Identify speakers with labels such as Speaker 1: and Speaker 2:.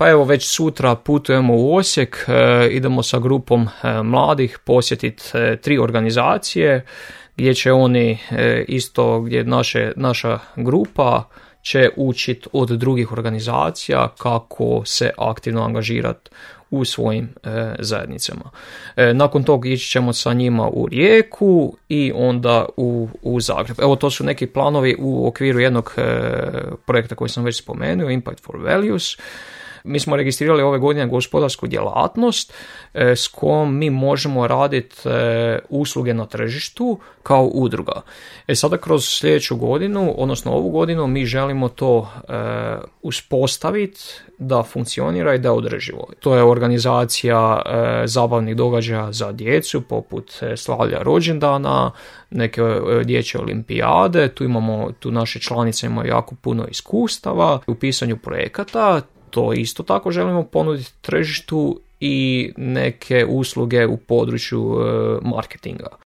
Speaker 1: Pa evo, već sutra putujemo u Osijek, idemo sa grupom mladih posjetiti 3 organizacije gdje će oni isto, gdje naša grupa će učiti od drugih organizacija kako se aktivno angažirati u svojim zajednicama. Nakon toga ići ćemo sa njima u Rijeku i onda u Zagreb. Evo, to su neki planovi u okviru jednog projekta koji sam već spomenuo, Impact for Values. Mi smo registrirali ove godine gospodarsku djelatnost s kojom mi možemo raditi usluge na tržištu kao udruga. Sada kroz sljedeću godinu, odnosno ovu godinu, mi želimo to uspostaviti da funkcionira i da je održivo. To je organizacija zabavnih događaja za djecu, poput slavlja rođendana, neke dječje olimpijade. Tu naše članice imaju jako puno iskustava u pisanju projekata. To isto tako želimo ponuditi tržištu i neke usluge u području marketinga.